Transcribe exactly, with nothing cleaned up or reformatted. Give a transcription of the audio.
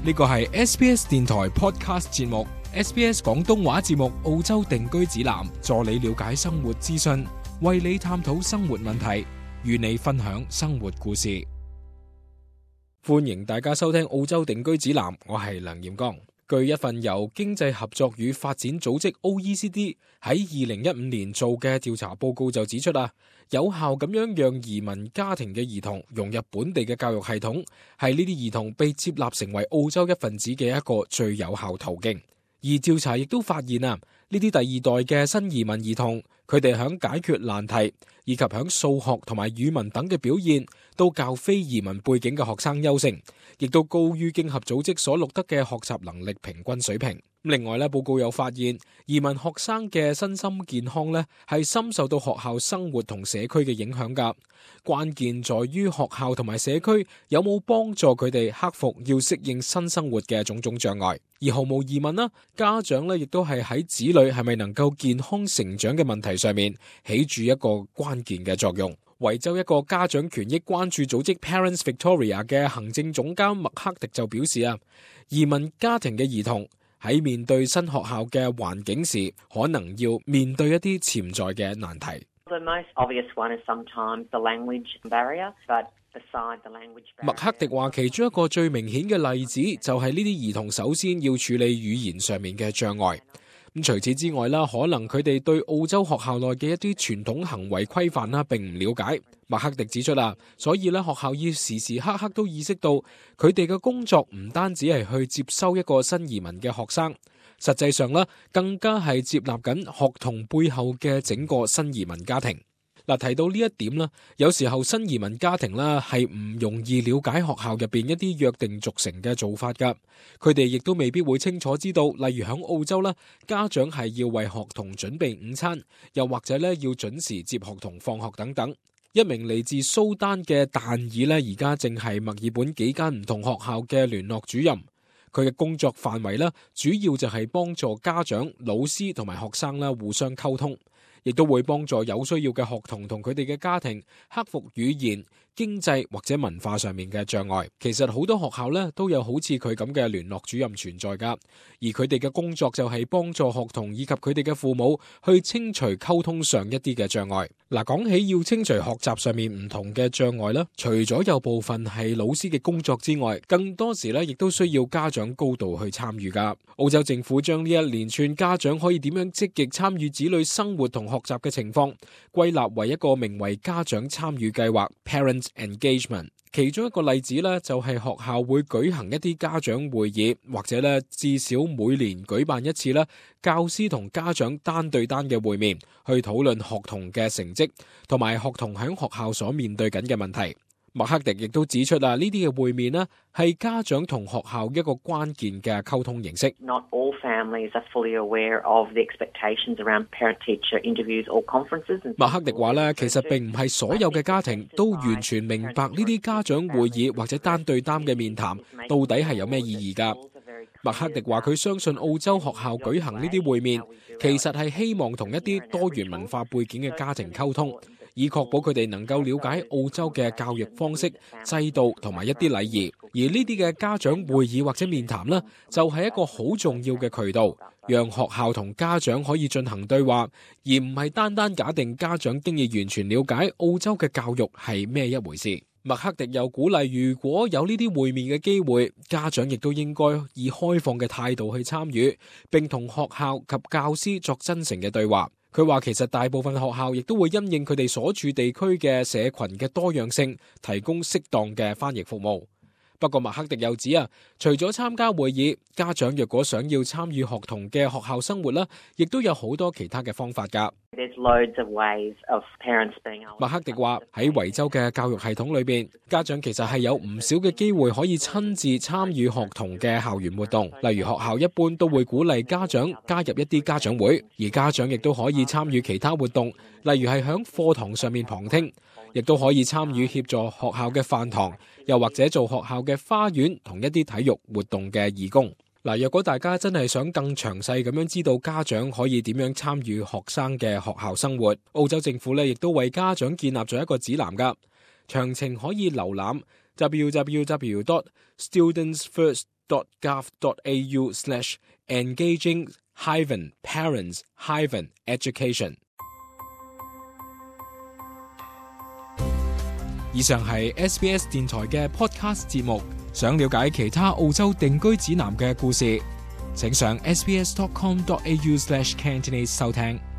呢個係 S B S 電台 Podcast 節目 S B S 廣東話節目澳洲定居指南，助你了解生活資訊，為你探討生活問題，與你分享生活故事。歡迎大家收聽澳洲定居指南，我係梁炎剛。據一份由經濟合作與發展組織 O E C D 喺二零一五年做嘅調查報告就指出啊，有效咁樣讓移民家庭嘅兒童融入本地嘅教育系統，係呢啲兒童被接納成為澳洲一份子嘅一個最有效途徑。而調查亦都發現啊，呢啲第二代嘅新移民兒童，佢哋響解決難題以及響數學同埋語文等嘅表現，都較非移民背景嘅學生優勝，亦都高於經合組織所錄得嘅學習能力平均水平。另外咧，報告又發現，移民學生嘅身心健康咧係深受到學校生活同社區嘅影響噶。關鍵在於學校同埋社區有冇幫助佢哋克服要適應新生活嘅種種障礙。而毫無疑問啦，家長咧亦都係喺子女係咪能夠健康成長嘅問題上面起住一個關鍵嘅作用。維州一個家長權益關注組織 Parents Victoria 嘅行政總監麥克迪就表示啊，移民家庭嘅兒童喺面對新學校嘅環境時，可能要面對一啲潛在嘅難題。麥克迪話，其中一個最明顯嘅例子就係呢啲兒童首先要處理語言上面嘅障礙。咁除此之外啦，可能佢哋對澳洲學校內嘅一啲傳統行為規範啦，並唔了解。麥克迪指出啦，所以咧學校要時時刻刻都意識到，佢哋嘅工作唔單止係去接收一個新移民嘅學生，實際上咧更加係接納緊學童背後嘅整個新移民家庭。嗱，提到呢一點啦，有時候新移民家庭啦係唔容易了解學校入邊一啲約定俗成嘅做法噶，佢哋亦都未必會清楚知道，例如喺澳洲啦，家長係要為學童準備午餐，又或者咧要準時接學童放學等等。一名嚟自蘇丹嘅但爾咧，而家正係墨爾本幾間唔同學校嘅聯絡主任，佢嘅工作範圍咧主要就係幫助家長、老師同埋學生啦互相溝通，亦都會幫助有需要嘅學童同佢哋嘅家庭克服語言、經濟或者文化上面嘅障礙。其實好多學校咧都有好似佢咁嘅聯絡主任存在噶，而佢哋嘅工作就係幫助學童以及佢哋嘅父母去清除溝通上一啲嘅障礙。嗱，講起要清除學習上面唔同嘅障礙咧，除咗有部分係老師嘅工作之外，更多時咧亦都需要家長高度去參與噶。澳洲政府將呢一連串家長可以點樣積極參與子女生活同學習嘅情況，歸納為一個名為家長參與計劃 Parent Engagement。其中一個例子咧，就係學校會舉行一啲家長會議，或者咧至少每年舉辦一次咧教師同家長單對單嘅會面，去討論學童嘅成績同埋學童喺學校所面對緊嘅問題。麥克迪亦都指出啊，呢啲嘅會面呢係家長同學校一個關鍵嘅溝通形式。Not all families are fully aware of the expectations around parent-teacher interviews or conferences. 麥克迪話咧，其實並唔係所有嘅家庭都完全明白呢啲家長會議或者單對單嘅面談到底係有咩意義㗎。麥克迪話佢相信澳洲學校舉行呢啲會面，其實係希望同一啲多元文化背景嘅家庭溝通，以確保佢哋能夠了解澳洲嘅教育方式、制度同埋一啲禮儀。而呢啲嘅家長會議或者面談呢，就係一個好重要嘅渠道，讓學校同家長可以進行對話，而唔係單單假定家長經已完全了解澳洲嘅教育係咩一回事。麥克迪又鼓勵，如果有呢啲會面嘅機會，家長亦都應該以開放嘅態度去參與，並同學校及教師作真誠嘅對話。佢話其實大部分學校亦都會因應佢哋所處地區嘅社群嘅多樣性，提供適當嘅翻譯服務。不過麥克迪又指啊，除咗參加會議，家長若果想要參與學童嘅學校生活啦，亦都有好多其他嘅方法㗎。麥克迪話喺維州嘅教育系統裏邊，家長其實係有唔少嘅機會可以親自參與學童嘅校園活動，例如學校一般都會鼓勵家長加入一啲家長會，而家長亦都可以參與其他活動，例如係響課堂上面旁聽，亦都可以參與協助學校嘅飯堂，又或者做學校嘅花園同一啲體育活動嘅義工。嗱，若果大家真係想更詳細咁樣知道家長可以點樣參與學生嘅學校生活，澳洲政府咧亦都為家長建立咗一個指南噶，詳情可以瀏覽 w w w dot students first dot gov dot a u slash engaging hyphen parents hyphen education。以上係 S B S 電台嘅 podcast 節目。想了解其他澳洲定居指南嘅故事，請上 s b s dot com dot a u slash cantonese 收聽。